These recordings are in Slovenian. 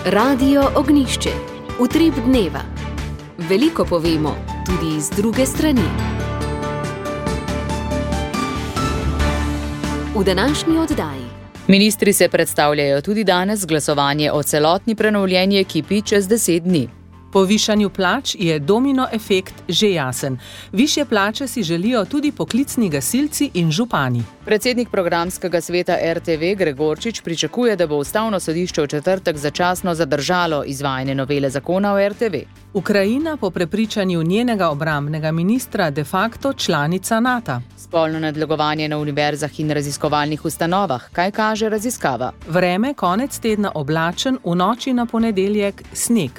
Radio Ognišče, utrip dneva. Veliko povemo, tudi z druge strani. V današnji oddaji. Ministri se predstavljajo tudi danes, glasovanje o celotni prenovljeni ekipi čez 10 dni. Po višanju plač je domino efekt že jasen. Višje plače si želijo tudi poklicni gasilci in župani. Predsednik programskega sveta RTV Gregorčič pričakuje, da bo Ustavno sodišče v četrtek začasno zadržalo izvajanje novele zakona o RTV. Ukrajina po prepričanju njenega obrambnega ministra de facto članica NATO. Spolno nadlegovanje na univerzah in raziskovalnih ustanovah. Kaj kaže raziskava? Vreme konec tedna oblačen, v noči na ponedeljek sneg.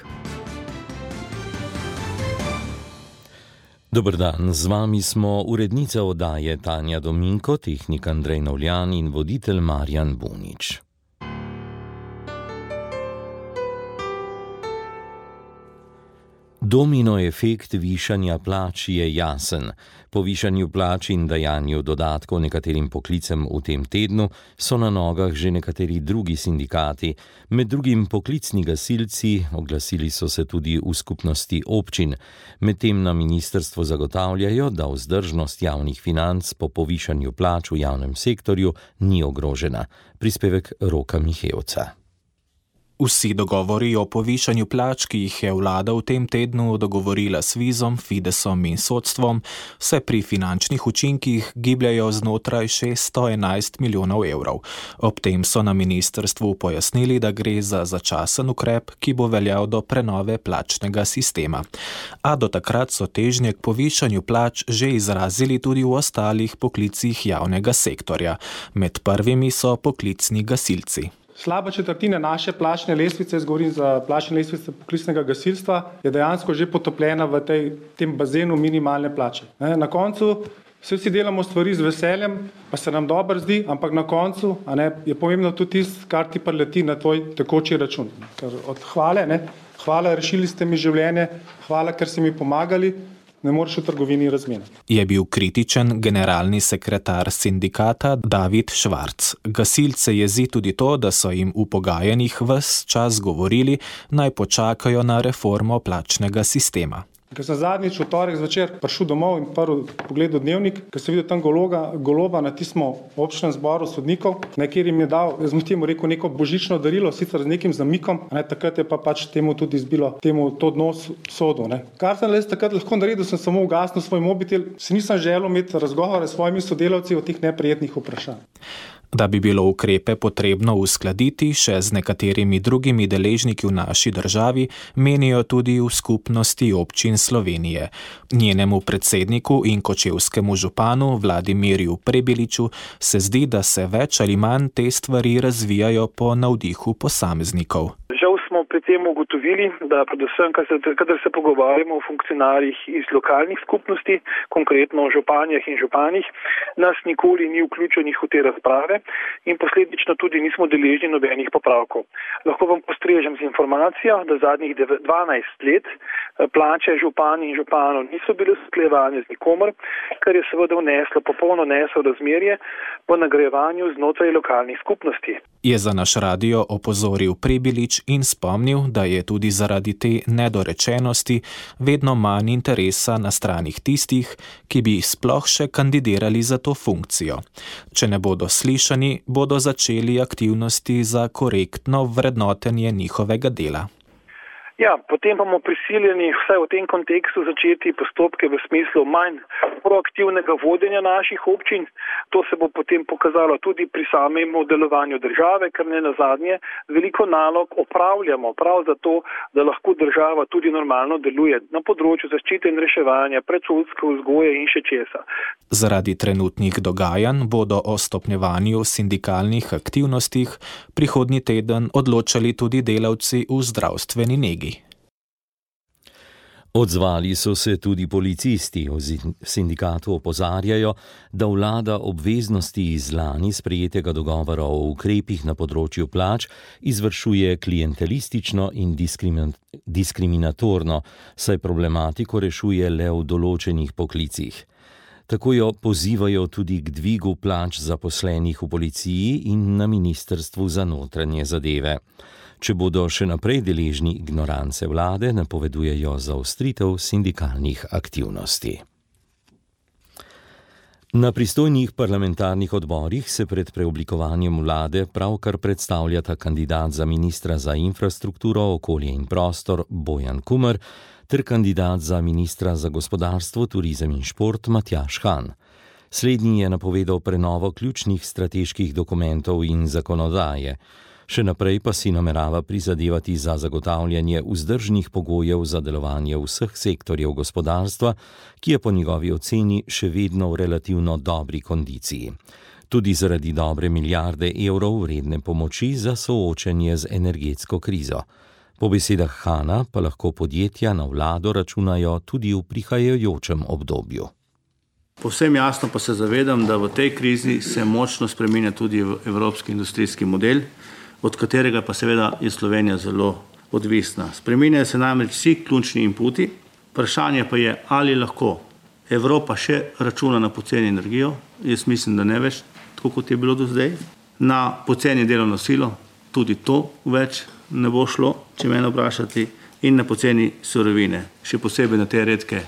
Dober dan, z vami smo urednica oddaje Tanja Dominko, tehnik Andrej Novljan in voditelj Marjan Bunič. Domino efekt višanja plač je jasen. Po višanju plač in dajanju dodatkov nekaterim poklicem v tem tednu so na nogah že nekateri drugi sindikati, med drugim poklicni gasilci, oglasili so se tudi v skupnosti občin. Medtem na ministrstvu zagotavljajo, da vzdržnost javnih financ po povišanju plač v javnem sektorju ni ogrožena. Prispevek Roka Mihevca. Vsi dogovori o povišanju plač, ki jih je vlada v tem tednu dogovorila s Svizom, Fidesom in sodstvom, se pri finančnih učinkih gibljajo znotraj 611 milijonov evrov. Ob tem so na ministrstvu pojasnili, da gre za začasen ukrep, ki bo veljal do prenove plačnega sistema. A do takrat so težnje k povišanju plač že izrazili tudi v ostalih poklicih javnega sektorja. Med prvimi so poklicni gasilci. Slaba četrtina naše plačne lestvice, govorim za plačne lestvice poklicnega gasilstva, je dejansko že potopljena v tem bazenu minimalne plače. Na koncu vsi delamo stvari z veseljem, pa se nam dobro zdi, ampak na koncu je pomembno tudi tisto, kar ti prileti na tvoj tekoči račun. Ker od hvale, hvala, rešili ste mi življenje, hvala, ker ste mi pomagali, ne moreš v trgovini razmeniti. Je bil kritičen generalni sekretar sindikata David Švarc. Gasilce jezi tudi to, da so jim v pogajanjih ves čas govorili, naj počakajo na reformo plačnega sistema. Ker sem zadnjič v torek zvečer prišel domov in prvi pogledal dnevnik, ker sem videl tam Goloba na tistem občnem zboru sodnikov, kjer jim je dal, jaz mu temu rekel, neko božično darilo, sicer z nekim zamikom, takrat je pa pač temu tudi izbilo to dno sodu. Kar sem takrat lahko naredil, sem samo ugasnil svoj mobitel, si nisem želel imeti razgovore s svojimi sodelavci o teh neprijetnih vprašanj. Da bi bilo ukrepe potrebno uskladiti še z nekaterimi drugimi deležniki v naši državi, menijo tudi v skupnosti občin Slovenije. Njenemu predsedniku in kočevskemu županu Vladimirju Prebiliču se zdi, da se več ali manj te stvari razvijajo po navdihu posameznikov. Žal smo pri tem ugotovili, da predvsem, kadar se pogovarjamo o funkcionarjih iz lokalnih skupnosti, konkretno o županjah in županih, nas nikoli ni vključenih v te razprave in posledično tudi nismo deležni nobenih popravkov. Lahko vam postrežem z informacijo, da zadnjih 12 let plače župani in županov niso bile usklajevane z nikomer, kar je seveda vneslo popolno nesorazmerje v nagrajevanju znotraj lokalnih skupnosti. Je za naš radio opozoril Prebilič in spomnil, da je tudi zaradi te nedorečenosti vedno manj interesa na stranih tistih, ki bi sploh še kandidirali za to funkcijo. Če ne bodo slišani, bodo začeli aktivnosti za korektno vrednotenje njihovega dela. Ja, potem bomo prisiljeni vsaj v tem kontekstu začeti postopke v smislu manj proaktivnega vodenja naših občin. To se bo potem pokazalo tudi pri samem delovanju države, ker ne nazadnje veliko nalog opravljamo prav zato, da lahko država tudi normalno deluje na področju zaščite in reševanja, predšolske vzgoje in še česa. Zaradi trenutnih dogajanj bodo o stopnjevanju sindikalnih aktivnostih prihodnji teden odločali tudi delavci v zdravstveni negi. Odzvali so se tudi policisti. V sindikatu opozarjajo, da vlada obveznosti iz lani sprejetega dogovora o ukrepih na področju plač izvršuje klientelistično in diskriminatorno, saj problematiko rešuje le v določenih poklicih. Tako jo pozivajo tudi k dvigu plač zaposlenih v policiji in na Ministrstvu za notranje zadeve. Če bodo še naprej deležni ignorance vlade, napovedujejo zaostritev sindikalnih aktivnosti. Na pristojnih parlamentarnih odborih se pred preoblikovanjem vlade pravkar predstavljata kandidat za ministra za infrastrukturo, okolje in prostor Bojan Kumer ter kandidat za ministra za gospodarstvo, turizem in šport Matjaž Han. Slednji je napovedal prenovo ključnih strateških dokumentov in zakonodaje. Še naprej pa si namerava prizadevati za zagotavljanje vzdržnih pogojev za delovanje vseh sektorjev gospodarstva, ki je po njegovi oceni še vedno v relativno dobri kondiciji. Tudi zaradi dobre milijarde evrov vredne pomoči za soočenje z energetsko krizo. Po besedah Hana pa lahko podjetja na vlado računajo tudi v prihajajočem obdobju. Povsem jasno pa se zavedam, da v tej krizi se močno spreminja tudi evropski industrijski model, od katerega pa seveda je Slovenija zelo odvisna. Spreminjajo se namreč vsi ključni inputi, vprašanje pa je, ali lahko Evropa še računa na poceni energijo, jaz mislim, da ne več, tako kot je bilo do zdaj, na poceni delovno silo, tudi to več ne bo šlo, če mene vprašati, in na poceni surovine, še posebej na te redke.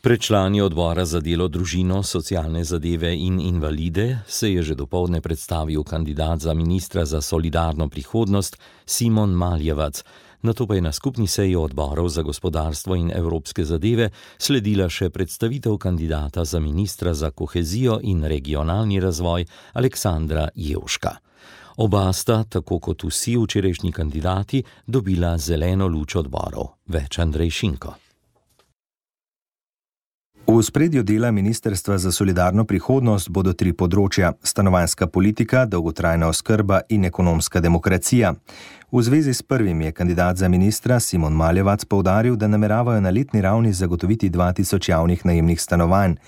Pred člani odbora za delo, družino, socialne zadeve in invalide se je že dopoldne predstavil kandidat za ministra za solidarno prihodnost Simon Maljevac. Nato pa je na skupni seji odborov za gospodarstvo in evropske zadeve sledila še predstavitev kandidata za ministra za kohezijo in regionalni razvoj Aleksandra Jevška. Oba sta, tako kot vsi včerajšnji kandidati, dobila zeleno luč odborov. Več Andrej Šinko. V ospredju dela Ministrstva za solidarno prihodnost bodo 3 področja: stanovanjska politika, dolgotrajna oskrba in ekonomska demokracija. V zvezi s prvim je kandidat za ministra Simon Maljevac poudaril, da nameravajo na letni ravni zagotoviti 2000 javnih najemnih stanovanj.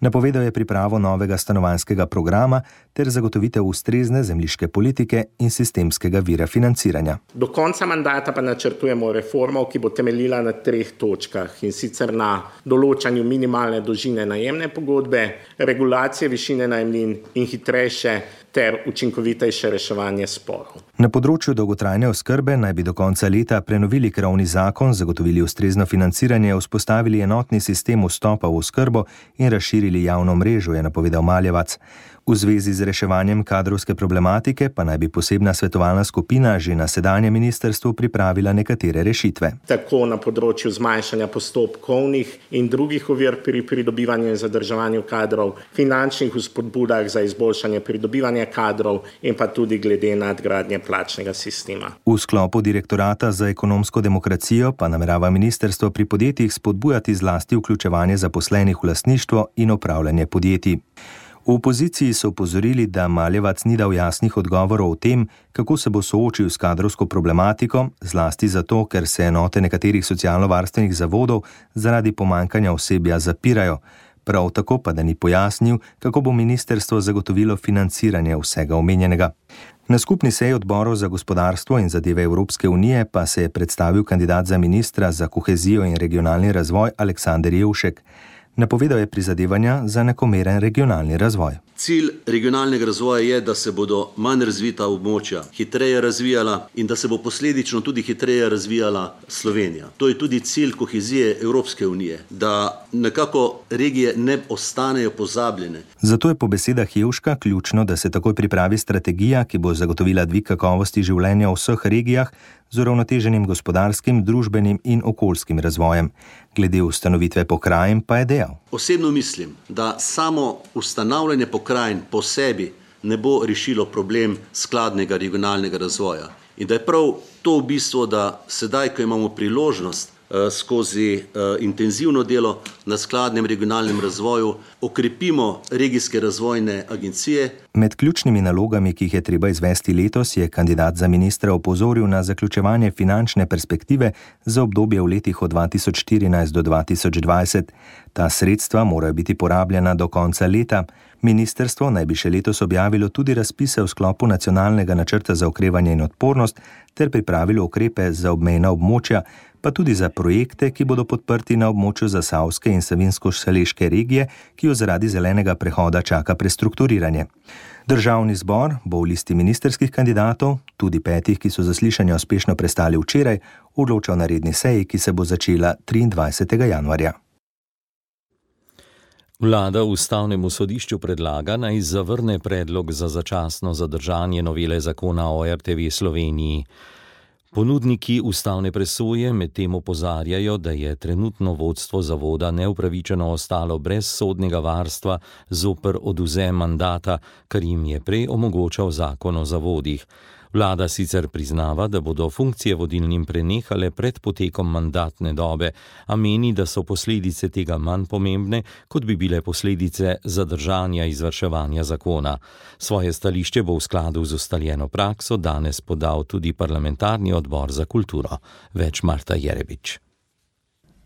Napovedal je pripravo novega stanovanjskega programa ter zagotovitev ustrezne zemljiške politike in sistemskega vira financiranja. Do konca mandata pa načrtujemo reformo, ki bo temeljila na 3 točkah, in sicer na določanju minimalne dolžine najemne pogodbe, regulacije višine najemnin in hitrejše ter učinkovitejše reševanje sporov. Na področju dolgotrajne oskrbe naj bi do konca leta prenovili krovni zakon, zagotovili ustrezno financiranje, vzpostavili enotni sistem vstopa v oskrbo in razširili javno mrežo, je napovedal Maljevac. V zvezi z reševanjem kadrovske problematike pa naj bi posebna svetovalna skupina že na sedanjem ministrstvu pripravila nekatere rešitve. Tako na področju zmanjšanja postopkovnih in drugih ovir pri pridobivanju in zadrževanju kadrov, finančnih vzpodbudah za izboljšanje pridobivanja kadrov in pa tudi glede nadgradnje plačnega sistema. V sklopu direktorata za ekonomsko demokracijo pa namerava ministrstvo pri podjetjih spodbujati zlasti vključevanje zaposlenih v lastništvo in upravljanje podjetij. V opoziciji so opozorili, da Maljevac ni dal jasnih odgovorov o tem, kako se bo soočil s kadrovsko problematiko, zlasti zato, ker se enote nekaterih socialno-varstvenih zavodov zaradi pomanjkanja osebja zapirajo. Prav tako pa da ni pojasnil, kako bo ministrstvo zagotovilo financiranje vsega omenjenega. Na skupni seji odborov za gospodarstvo in zadeve Evropske unije pa se je predstavil kandidat za ministra za kohezijo in regionalni razvoj Aleksander Jevšek. Napovedal je prizadevanja za enakomeren regionalni razvoj. Cilj regionalnega razvoja je, da se bodo manj razvita območja hitreje razvijala in da se bo posledično tudi hitreje razvijala Slovenija. To je tudi cilj kohezije Evropske unije, da nekako regije ne ostanejo pozabljene. Zato je po besedah Jevška ključno, da se takoj pripravi strategija, ki bo zagotovila dvig kakovosti življenja v vseh regijah z uravnoteženim gospodarskim, družbenim in okoljskim razvojem. Glede ustanovitve pokrajin pa je dejal: Osebno mislim, da samo ustanavljanje pokrajin po sebi ne bo rešilo problem skladnega regionalnega razvoja. In da je prav to v bistvu, da sedaj, ko imamo priložnost skozi intenzivno delo na skladnem regionalnem razvoju, okrepimo regijske razvojne agencije. Med ključnimi nalogami, ki jih je treba izvesti letos, je kandidat za ministra opozoril na zaključevanje finančne perspektive za obdobje v letih od 2014 do 2020. Ta sredstva morajo biti porabljena do konca leta. Ministrstvo naj bi še letos objavilo tudi razpise v sklopu nacionalnega načrta za okrevanje in odpornost ter pripravilo ukrepe za obmejna območja, pa tudi za projekte, ki bodo podprti na območju Zasavske in Savinjsko-Šaleške regije, ki jo zaradi zelenega prehoda čaka prestrukturiranje. Državni zbor bo v listi ministerskih kandidatov, tudi 5, ki so zaslišanja uspešno prestali včeraj, odločal na redni seji, ki se bo začela 23. januarja. Vlada Ustavnemu sodišču predlaga, naj zavrne predlog za začasno zadržanje novele zakona o RTV Sloveniji. Ponudniki ustavne presoje medtem opozarjajo, da je trenutno vodstvo zavoda neupravičeno ostalo brez sodnega varstva zoper odvzem mandata, kar jim je prej omogočal zakon o zavodih. Vlada sicer priznava, da bodo funkcije vodilnim prenehale pred potekom mandatne dobe, a meni, da so posledice tega manj pomembne, kot bi bile posledice zadržanja izvrševanja zakona. Svoje stališče bo v skladu z ustaljeno prakso danes podal tudi parlamentarni odbor za kulturo. Več Marta Jerebič.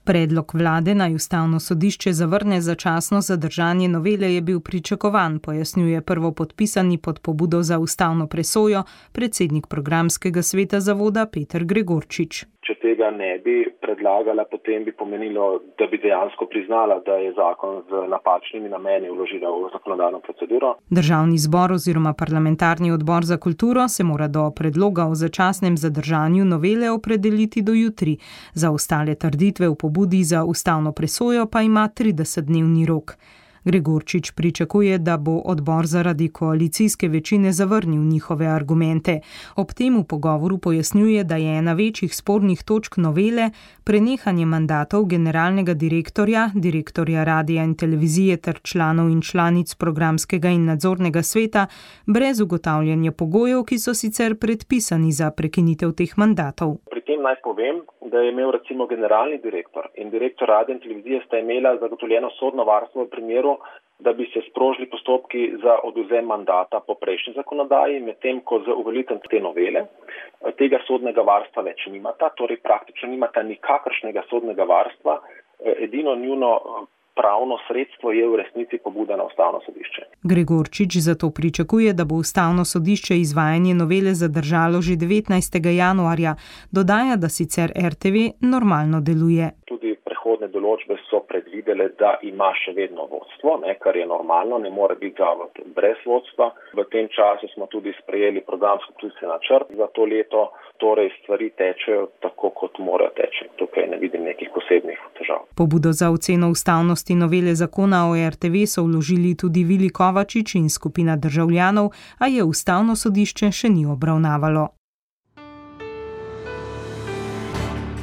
Predlog vlade naj Ustavno sodišče zavrne začasno zadržanje novele je bil pričakovan, pojasnjuje prvopodpisani pod pobudo za ustavno presojo predsednik programskega sveta zavoda Peter Gregorčič. Če tega ne bi predlagala, potem bi pomenilo, da bi dejansko priznala, da je zakon z napačnimi nameni vložila v zakonodajno proceduro. Državni zbor oziroma parlamentarni odbor za kulturo se mora do predloga o začasnem zadržanju novele opredeliti do jutri. Za ostale trditve v pobudi za ustavno presojo pa ima 30-dnevni rok. Gregorčič pričakuje, da bo odbor zaradi koalicijske večine zavrnil njihove argumente. Ob tem v pogovoru pojasnjuje, da je ena večjih spornih točk novele prenehanje mandatov generalnega direktorja, direktorja radia in televizije ter članov in članic programskega in nadzornega sveta brez ugotavljanja pogojev, ki so sicer predpisani za prekinitev teh mandatov. Pri tem naj povem, da je imel recimo generalni direktor in direktor radia in televizije sta imela zagotovljeno sodno varstvo v primeru, da bi se sprožili postopki za odvzem mandata po prejšnji zakonodaji, medtem ko z uveljavitvijo te novele tega sodnega varstva več nimata, torej praktično nimata nikakršnega sodnega varstva, edino njuno pravno sredstvo je v resnici pobuda na Ustavno sodišče. Gregorčič zato pričakuje, da bo Ustavno sodišče izvajanje novele zadržalo že 19. januarja. Dodaja, da sicer RTV normalno deluje. Tudi prehodne določbe so predvidele, da ima še vedno vodstvo, kar je normalno, ne more biti zavod brez vodstva. V tem času smo tudi sprejeli programsko-akcijski načrt za to leto, torej stvari tečejo tako, kot morajo teči. Tukaj ne vidim nekih posebnih težav. Pobudo za oceno ustavnosti novele zakona o RTV so vložili tudi Vili Kovačič in skupina državljanov, a je Ustavno sodišče še ni obravnavalo.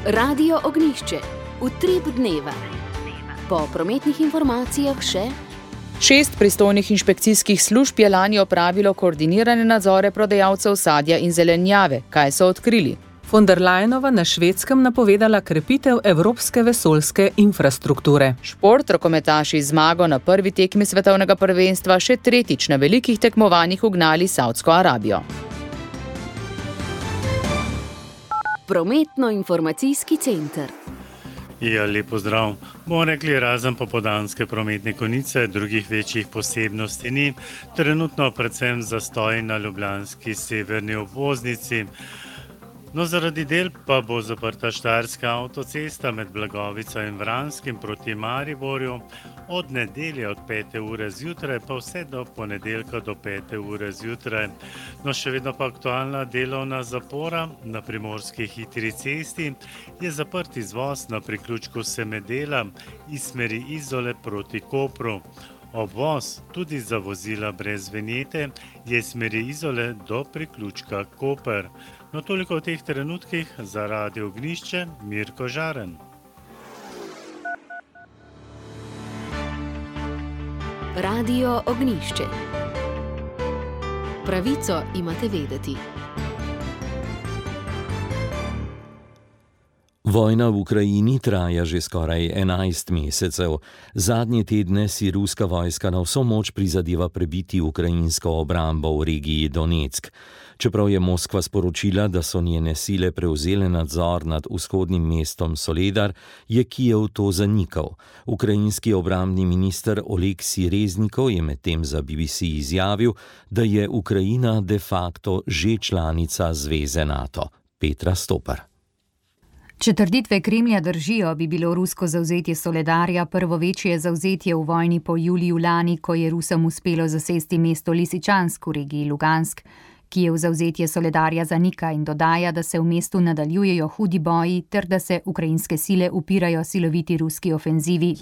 Radio Ognjišče. Utrip dneva. Po prometnih informacijah še 6 pristojnih inšpekcijskih služb je lani opravilo koordinirane nadzore prodajalcev sadja in zelenjave. Kaj so odkrili? Von der Leyenova na Švedskem napovedala krepitev evropske vesoljske infrastrukture. Šport, rokometaši zmago na prvi tekmi svetovnega prvenstva še tretjič na velikih tekmovanjih ugnali Saudsko Arabijo. Prometno-informacijski center. Ja, lep pozdrav. Bomo rekli, razen popoldanske prometne konice, drugih večjih posebnosti ni. Trenutno predvsem zastoj na ljubljanski severni obvoznici. No, zaradi del pa bo zaprta Štajerska avtocesta med Blagovico in Vranskim proti Mariborju od nedelje od 5. ure zjutraj pa vse do ponedeljka do 5. ure zjutraj. No, še vedno pa aktualna delovna zapora na primorski hitri cesti je zaprt izvoz na priključku Semedela iz smeri Izole proti Kopru. Obvoz tudi za vozila brez vinjete je iz smeri Izole do priključka Koper. No, toliko v teh trenutkih za Radio Ognjišče, Mirko Žaren. Radio Ognjišče. Pravico imate vedeti. Vojna v Ukrajini traja že skoraj 11 mesecev. Zadnje tedne si ruska vojska na vso moč prizadeva prebiti ukrajinsko obrambo v regiji Donetsk. Čeprav je Moskva sporočila, da so njene sile prevzele nadzor nad vzhodnim mestom Soledar, je Kijev to zanikal. Ukrajinski obrambni minister Oleksij Reznikov je medtem za BBC izjavil, da je Ukrajina de facto že članica zveze NATO. Petra Stopar. Če trditve Kremlja držijo, bi bilo rusko zavzetje Soledarja prvo večje zavzetje v vojni po juliju lani, ko je Rusom uspelo zasesti mesto Lisičansk v regiji Lugansk. Kijev zavzetje Soledarja zanika in dodaja, da se v mestu nadaljujejo hudi boji ter da se ukrajinske sile upirajo siloviti ruski ofenzivi.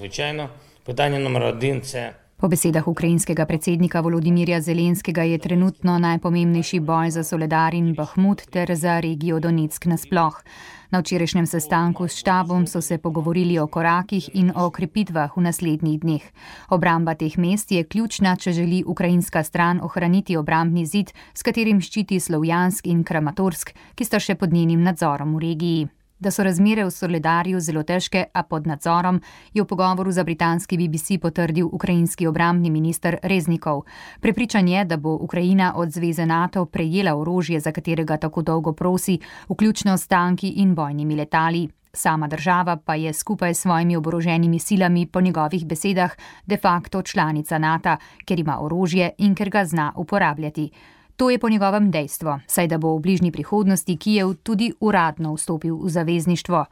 Po besedah ukrajinskega predsednika Volodimirja Zelenskega je trenutno najpomembnejši boj za Soledar in Bahmut ter za regijo Donetsk nasploh. Na včerajšnjem sestanku s štabom so se pogovorili o korakih in o okrepitvah v naslednjih dneh. Obramba teh mest je ključna, če želi ukrajinska stran ohraniti obrambni zid, s katerim ščiti Slovjansk in Kramatorsk, ki sta še pod njenim nadzorom v regiji. Da so razmere v Soledarju zelo težke, a pod nadzorom, je v pogovoru za britanski BBC potrdil ukrajinski obrambni minister Reznikov. Prepričan je, da bo Ukrajina od zveze NATO prejela orožje, za katerega tako dolgo prosi, vključno s tanki in bojnimi letali. Sama država pa je skupaj s svojimi oboroženimi silami po njegovih besedah de facto članica NATO, ker ima orožje in ker ga zna uporabljati. To je po njegovem dejstvo, saj da bo v bližnji prihodnosti Kijev tudi uradno vstopil v zavezništvo.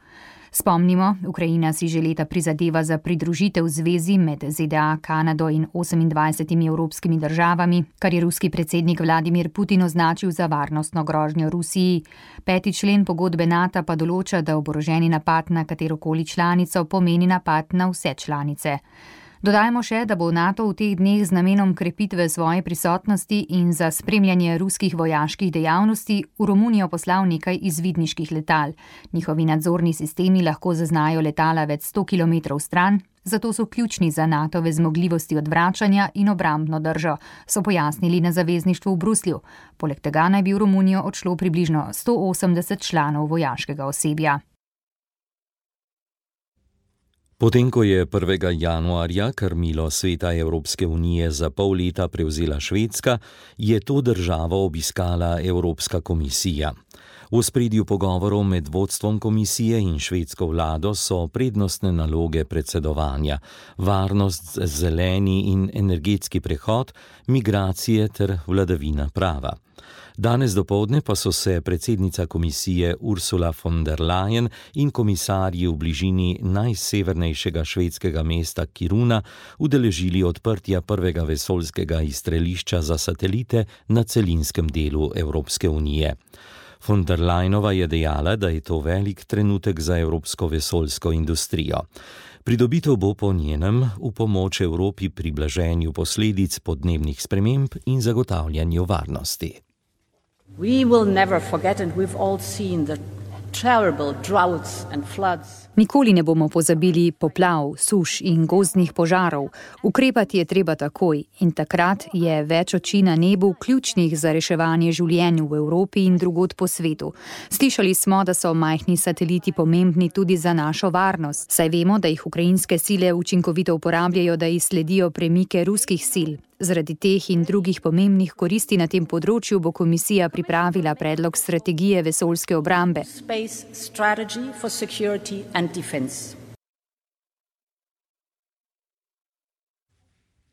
Spomnimo, Ukrajina si že leta prizadeva za pridružitev zvezi med ZDA, Kanado in 28 evropskimi državami, kar je ruski predsednik Vladimir Putin označil za varnostno grožnjo Rusiji. 5. člen pogodbe NATO pa določa, da oboroženi napad na katerokoli članico pomeni napad na vse članice. Dodajmo še, da bo NATO v teh dneh z namenom krepitve svoje prisotnosti in za spremljanje ruskih vojaških dejavnosti v Romunijo poslal nekaj izvidniških letal. Njihovi nadzorni sistemi lahko zaznajo letala več 100 km stran, zato so ključni za NATOve zmogljivosti odvračanja in obrambno držo, so pojasnili na zavezništvu v Bruslju. Poleg tega naj bi v Romunijo odšlo približno 180 članov vojaškega osebja. Potem, ko je 1. januarja krmilo Sveta Evropske unije za pol leta prevzela Švedska, je to državo obiskala Evropska komisija. V ospredju pogovorov med vodstvom komisije in švedsko vlado so prednostne naloge predsedovanja, varnost, zeleni in energetski prehod, migracije ter vladavina prava. Danes dopoldne pa so se predsednica komisije Ursula von der Leyen in komisarji v bližini najsevernejšega švedskega mesta Kiruna udeležili odprtja prvega vesoljskega izstrelišča za satelite na celinskem delu Evropske unije. Von der Leyenova je dejala, da je to velik trenutek za evropsko vesoljsko industrijo. Pridobitev bo po njenem v pomoč Evropi pri blaženju posledic podnebnih sprememb in zagotavljanju varnosti. We will never forget, and we've all seen the terrible droughts and floods. Nikoli ne bomo pozabili poplav, suš in gozdnih požarov. Ukrepati je treba takoj in takrat je več oči na nebu ključnih za reševanje življenj v Evropi in drugod po svetu. Slišali smo, da so majhni sateliti pomembni tudi za našo varnost, saj vemo, da jih ukrajinske sile učinkovito uporabljajo, da izsledijo premike ruskih sil. Zaradi teh in drugih pomembnih koristi na tem področju bo komisija pripravila predlog strategije vesoljske obrambe. Space strategy for security and defense.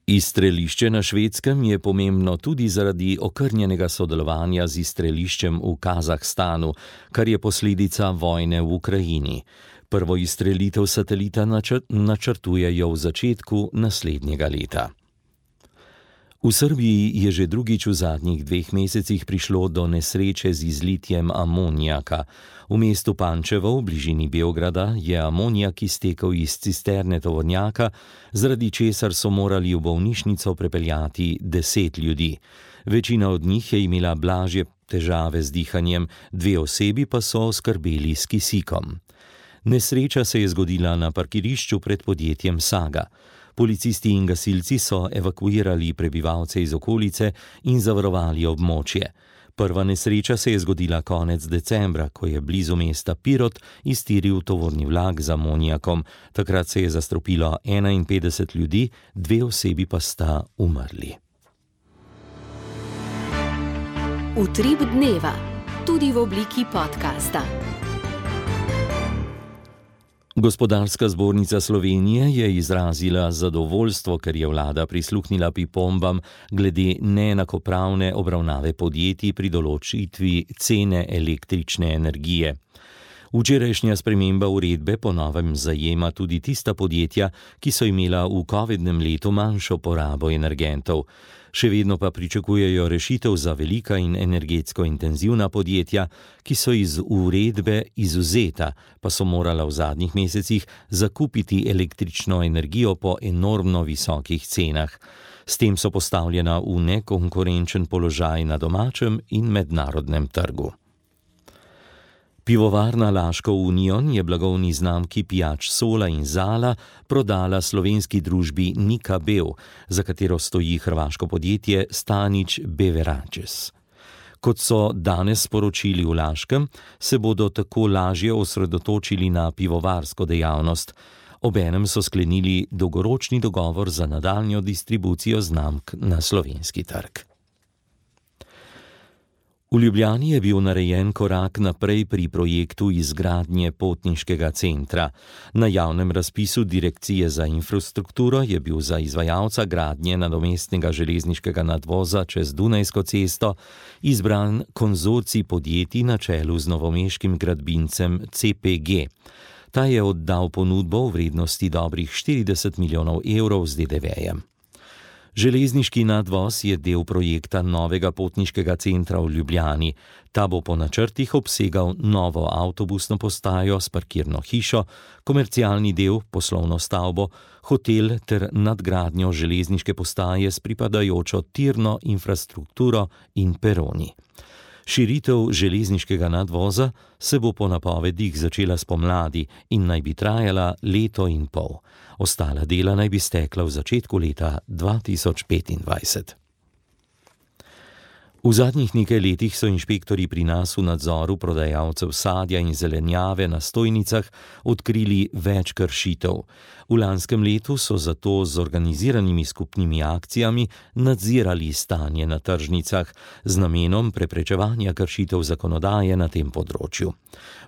Izstrelišče na Švedskem je pomembno tudi zaradi okrnjenega sodelovanja z izstreliščem v Kazahstanu, kar je posledica vojne v Ukrajini. Prvo izstrelitev satelita načrtujejo v začetku naslednjega leta. V Srbiji je že drugič v zadnjih 2 mesecih prišlo do nesreče z izlitjem amonijaka. V mestu Pančevo v bližini Beograda je amonijak iztekel iz cisterne tovornjaka, zaradi česar so morali v bolnišnico prepeljati 10 ljudi. Večina od njih je imela blažje težave z dihanjem, 2 osebi pa so skrbeli s kisikom. Nesreča se je zgodila na parkirišču pred podjetjem Saga. Policisti in gasilci so evakuirali prebivalce iz okolice in zavarovali območje. Prva nesreča se je zgodila konec decembra, ko je blizu mesta Pirot iztiril tovorni vlak z amonijakom. Takrat se je zastrupilo 51 ljudi, 2 osebi pa sta umrli. Utrip dneva, tudi v obliki podcasta. Gospodarska zbornica Slovenije je izrazila zadovoljstvo, ker je vlada prisluhnila pripombam glede neenakopravne obravnave podjetij pri določitvi cene električne energije. Včerajšnja sprememba uredbe po novem zajema tudi tista podjetja, ki so imela v covidnem letu manjšo porabo energentov. Še vedno pa pričakujejo rešitev za velika in energetsko intenzivna podjetja, ki so iz uredbe izvzeta, pa so morala v zadnjih mesecih zakupiti električno energijo po enormno visokih cenah. S tem so postavljena v nekonkurenčen položaj na domačem in mednarodnem trgu. Pivovarna Laško Union je blagovni znamki pijač Sola in Zala prodala slovenski družbi Nika Bev, za katero stoji hrvaško podjetje Stanić Beverages. Kot so danes sporočili v Laškem, se bodo tako lažje osredotočili na pivovarsko dejavnost. Obenem so sklenili dolgoročni dogovor za nadaljnjo distribucijo znamk na slovenski trg. V Ljubljani je bil narejen korak naprej pri projektu izgradnje potniškega centra. Na javnem razpisu Direkcije za infrastrukturo je bil za izvajalca gradnje nadomestnega železniškega nadvoza čez Dunajsko cesto izbran konzorcij podjetij na čelu z novomeškim gradbincem CPG. Ta je oddal ponudbo v vrednosti dobrih 40 milijonov evrov z DDV-jem. Železniški nadvoz je del projekta novega potniškega centra v Ljubljani. Ta bo po načrtih obsegal novo avtobusno postajo s parkirno hišo, komercialni del, poslovno stavbo, hotel ter nadgradnjo železniške postaje s pripadajočo tirno infrastrukturo in peroni. Širitev železniškega nadvoza se bo po napovedih začela spomladi in naj bi trajala leto in pol. Ostala dela naj bi stekla v začetku leta 2025. V zadnjih nekaj letih so inšpektorji pri nas v nadzoru prodajalcev sadja in zelenjave na stojnicah odkrili več kršitev. V lanskem letu so zato z organiziranimi skupnimi akcijami nadzirali stanje na tržnicah z namenom preprečevanja kršitev zakonodaje na tem področju.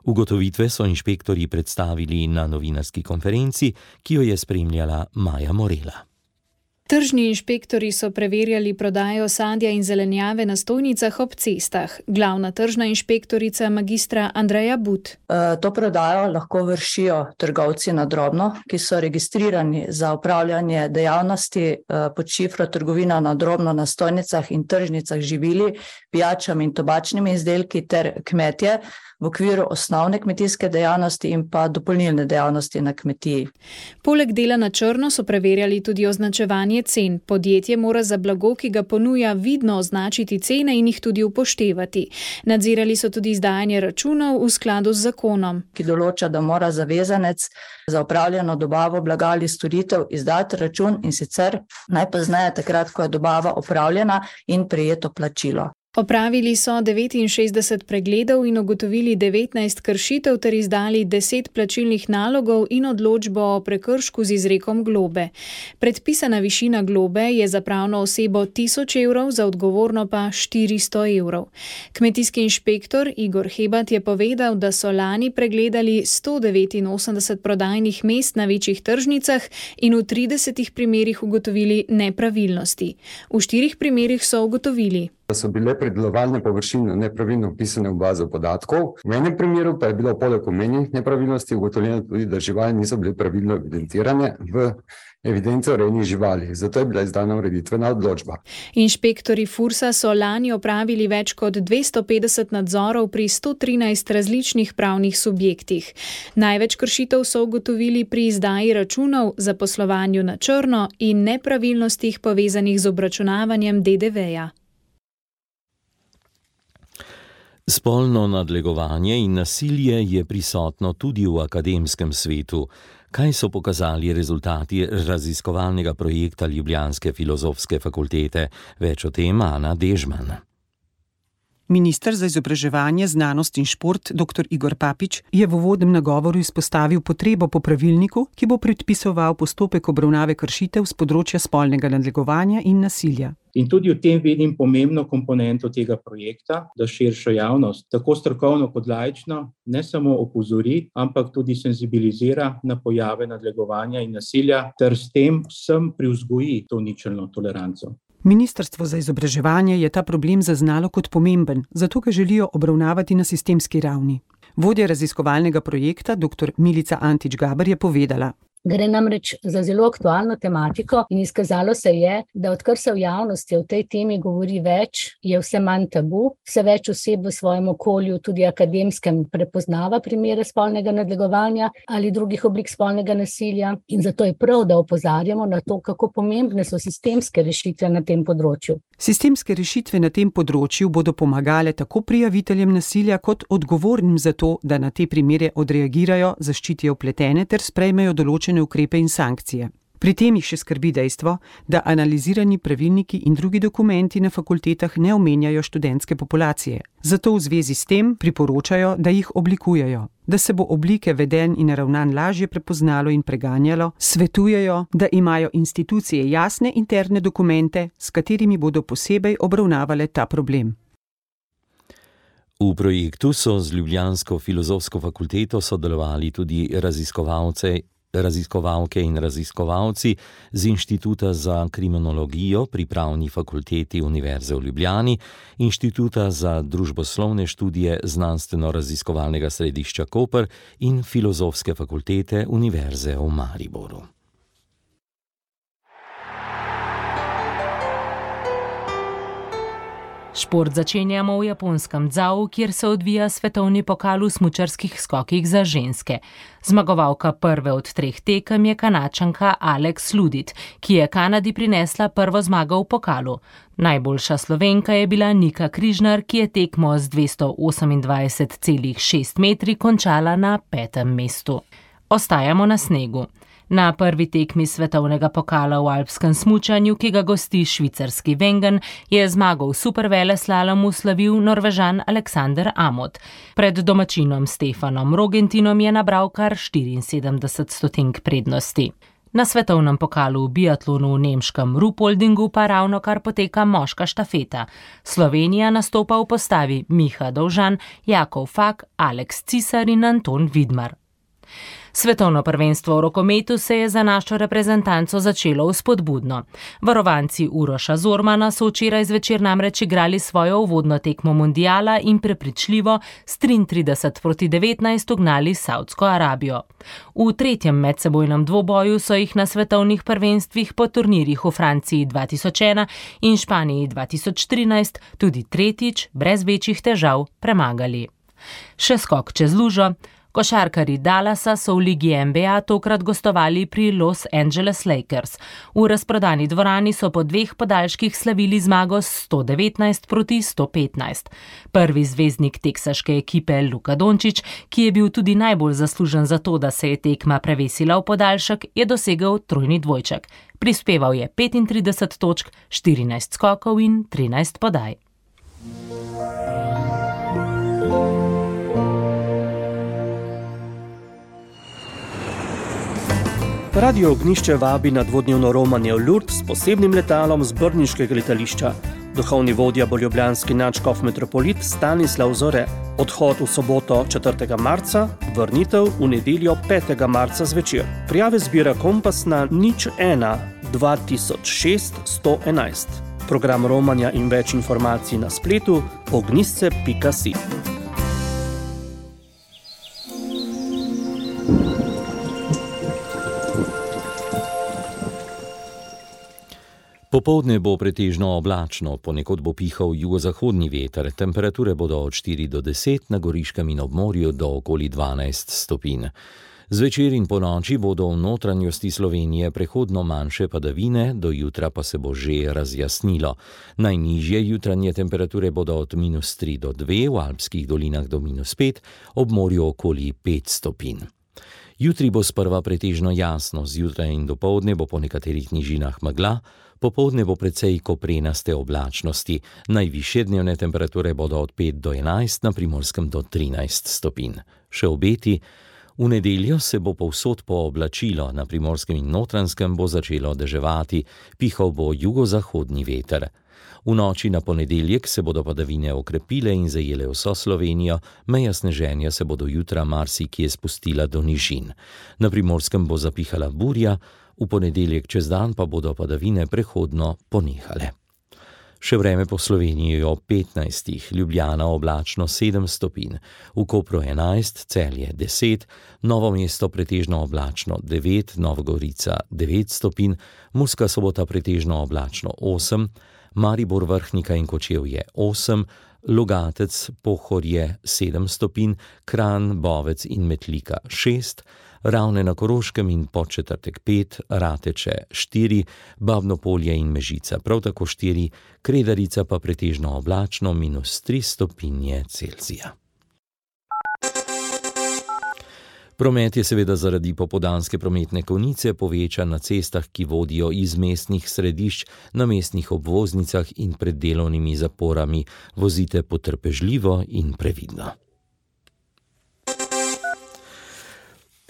Ugotovitve so inšpektorji predstavili na novinarski konferenci, ki jo je spremljala Maja Morela. Tržni inšpektori so preverjali prodajo sadja in zelenjave na stojnicah ob cestah. Glavna tržna inšpektorica magistra Andreja But. To prodajo lahko vršijo trgovci na drobno, ki so registrirani za opravljanje dejavnosti pod šifro trgovina na drobno na stojnicah in tržnicah živili, pijačami in tobačnimi izdelki ter kmetje v okviru osnovne kmetijske dejavnosti in pa dopolnilne dejavnosti na kmetiji. Poleg dela na črno so preverjali tudi označevanje cen. Podjetje mora za blago, ki ga ponuja, vidno označiti cene in jih tudi upoštevati. Nadzirali so tudi izdajanje računov v skladu z zakonom, ki določa, da mora zavezanec za opravljeno dobavo blaga ali storitev izdati račun in sicer najpozneje takrat, ko je dobava opravljena in prejeto plačilo. Opravili so 69 pregledov in ugotovili 19 kršitev ter izdali 10 plačilnih nalogov in odločbo o prekršku z izrekom globe. Predpisana višina globe je za pravno osebo 1000 evrov, za odgovorno pa 400 evrov. Kmetijski inšpektor Igor Hebat je povedal, da so lani pregledali 189 prodajnih mest na večjih tržnicah in v 30 primerih ugotovili nepravilnosti. V 4 primerih so ugotovili, da so bile predelovalne površine nepravilno vpisane v bazo podatkov. V enem primeru pa je bilo poleg omenjenih nepravilnosti ugotovljeno tudi, da živali niso bile pravilno evidentirane v evidenco rejnih živali, zato je bila izdana ureditvena odločba. Inšpektori Fursa so lani opravili več kot 250 nadzorov pri 113 različnih pravnih subjektih. Največ kršitev so ugotovili pri izdaji računov, zaposlovanju na črno in nepravilnostih povezanih z obračunavanjem DDV-ja. Spolno nadlegovanje in nasilje je prisotno tudi v akademskem svetu. Kaj so pokazali rezultati raziskovalnega projekta Ljubljanske filozofske fakultete? Več o tem Ana Dežman. Minister za izobraževanje, znanost in šport dr. Igor Papič je v uvodnem nagovoru izpostavil potrebo po pravilniku, ki bo predpisoval postopek obravnave kršitev z področja spolnega nadlegovanja in nasilja. In tudi v tem vidim pomembno komponento tega projekta, da širšo javnost, tako strokovno kot laično, ne samo opozori, ampak tudi senzibilizira na pojave nadlegovanja in nasilja ter s tem vsem privzgoji to ničelno toleranco. Ministrstvo za izobraževanje je ta problem zaznalo kot pomemben, zato ga želijo obravnavati na sistemski ravni. Vodja raziskovalnega projekta, dr. Milica Antič-Gaber, je povedala: Gre namreč za zelo aktualno tematiko in izkazalo se je, da odkar se v javnosti o tej temi govori več, je vse manj tabu, vse več oseb v svojem okolju, tudi akademskem, prepoznava primere spolnega nadlegovanja ali drugih oblik spolnega nasilja in zato je prav, da opozarjamo na to, kako pomembne so sistemske rešitve na tem področju. Sistemske rešitve na tem področju bodo pomagale tako prijaviteljem nasilja kot odgovornim za to, da na te primere odreagirajo, zaščitijo vpletene ter sprejmejo določene ukrepe in sankcije. Pri tem jih še skrbi dejstvo, da analizirani pravilniki in drugi dokumenti na fakultetah ne omenjajo študentske populacije. Zato v zvezi s tem priporočajo, da jih oblikujejo. Da se bo oblike vedenj in ravnanj lažje prepoznalo in preganjalo, svetujejo, da imajo institucije jasne interne dokumente, s katerimi bodo posebej obravnavale ta problem. V projektu so z ljubljansko filozofsko fakulteto sodelovali tudi raziskovalke in raziskovalci z Inštituta za kriminologijo pri Pravni fakulteti Univerze v Ljubljani, Inštituta za družboslovne študije Znanstveno-raziskovalnega središča Koper in Filozofske fakultete Univerze v Mariboru. Šport začenjamo v japonskem Dzau, kjer se odvija svetovni pokal v smučarskih skokih za ženske. Zmagovalka prve od 3 tekem je Kanačanka Alex Ludit, ki je Kanadi prinesla prvo zmago v pokalu. Najboljša Slovenka je bila Nika Križnar, ki je tekmo z 228,6 metri končala na 5. mestu. Ostajamo na snegu. Na prvi tekmi svetovnega pokala v alpskem smučanju, ki ga gosti švicarski Wengen, je zmago v superveleslalomu slavil Norvežan Alexander Amot. Pred domačinom Stefanom Rogentinom je nabral kar 74 stotink prednosti. Na svetovnem pokalu v biatlonu v nemškem Ruhpoldingu pa ravnokar poteka moška štafeta. Slovenija nastopa v postavi Miha Dovžan, Jakov Fak, Aleks Cisar in Anton Vidmar. Svetovno prvenstvo v rokometu se je za našo reprezentanco začelo vzpodbudno. Varovanci Uroša Zormana so včeraj zvečer namreč igrali svojo uvodno tekmo mundiala in prepričljivo s 33-19 ugnali Saudsko Arabijo. V tretjem medsebojnem dvoboju so jih na svetovnih prvenstvih po turnirjih v Franciji 2001 in Španiji 2013 tudi tretjič brez večjih težav premagali. Še skok čez lužo. Košarkarji Dallasa so v ligi NBA tokrat gostovali pri Los Angeles Lakers. V razprodani dvorani so po 2 podaljških slavili zmago s 119-115. Prvi zvezdnik teksaške ekipe Luka Dončić, ki je bil tudi najbolj zaslužen za to, da se je tekma prevesila v podaljšek, je dosegel trojni dvojček. Prispeval je 35 točk, 14 skokov in 13 podaj. Radio Ognjišče vabi na dvodnevno romanje v Lourdes s posebnim letalom z brniškega letališča. Duhovni vodja bo ljubljanski nadškof metropolit Stanislav Zore. Odhod v soboto 4. marca, vrnitev v nedeljo 5. marca zvečer. Prijave zbira Kompas na 01 2006 111. Program romanja in več informacij na spletu ognjisce.si. Popoldne bo pretežno oblačno, ponekod bo pihal jugozahodni veter, temperature bodo od 4 do 10, na Goriškem in ob morju do okoli 12 stopinj. Zvečer in ponoči bodo v notranjosti Slovenije prehodno manjše padavine, do jutra pa se bo že razjasnilo. Najnižje jutranje temperature bodo od -3 do 2, v alpskih dolinah do -5, ob morju okoli 5 stopinj. Jutri bo sprva pretežno jasno, zjutraj in dopoldne bo po nekaterih nižinah megla, popoldne bo precej koprenaste oblačnosti, najvišje dnevne temperature bodo od 5 do 11, na Primorskem do 13 stopinj. Še obeti, v nedeljo se bo povsod pooblačilo, na Primorskem in Notranjskem bo začelo deževati, pihal bo jugozahodni veter. V noči na ponedeljek se bodo padavine okrepile in zajele vso Slovenijo, meja sneženja se bodo jutra marsikje spustila do nižin. Na Primorskem bo zapihala burja, v ponedeljek čez dan pa bodo padavine prehodno ponehale. Še vreme po Sloveniji ob 15, Ljubljana oblačno 7 stopinj, v Kopru 11, Celje 10, Novo mesto pretežno oblačno 9, Novogorica 9 stopinj, Murska Sobota pretežno oblačno 8, Maribor, Vrhnika in Kočevje 8, Logatec, Pohorje 7 stopinj, Kranj, Bovec in Metlika 6, Ravne na Koroškem in Podčetrtek 5, Rateče 4, Babno Polje in Mežica prav tako 4, Kredarica pa pretežno oblačno -3 stopinje Celzija. Promet je seveda zaradi popoldanske prometne konice povečan na cestah, ki vodijo iz mestnih središč, na mestnih obvoznicah in pred delovnimi zaporami. Vozite potrpežljivo in previdno.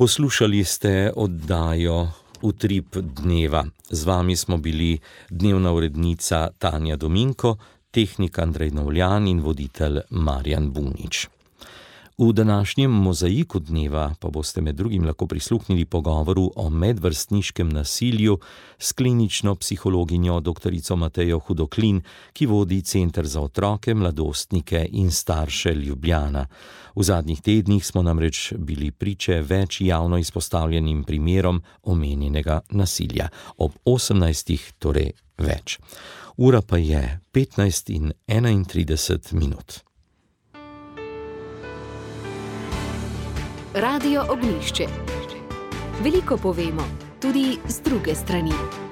Poslušali ste oddajo Utrip dneva. Z vami smo bili dnevna urednica Tanja Dominko, tehnik Andrej Novljan in voditelj Marjan Bunič. V današnjem mozaiku dneva pa boste med drugim lahko prisluhnili pogovoru o medvrstniškem nasilju s klinično psihologinjo dr. Matejo Hudoklin, ki vodi Center za otroke, mladostnike in starše Ljubljana. V zadnjih tednih smo namreč bili priče več javno izpostavljenim primerom omenjenega nasilja. Ob 18. torej več. Ura pa je 15:31. Radio Ognjišče. Veliko povemo, tudi z druge strani.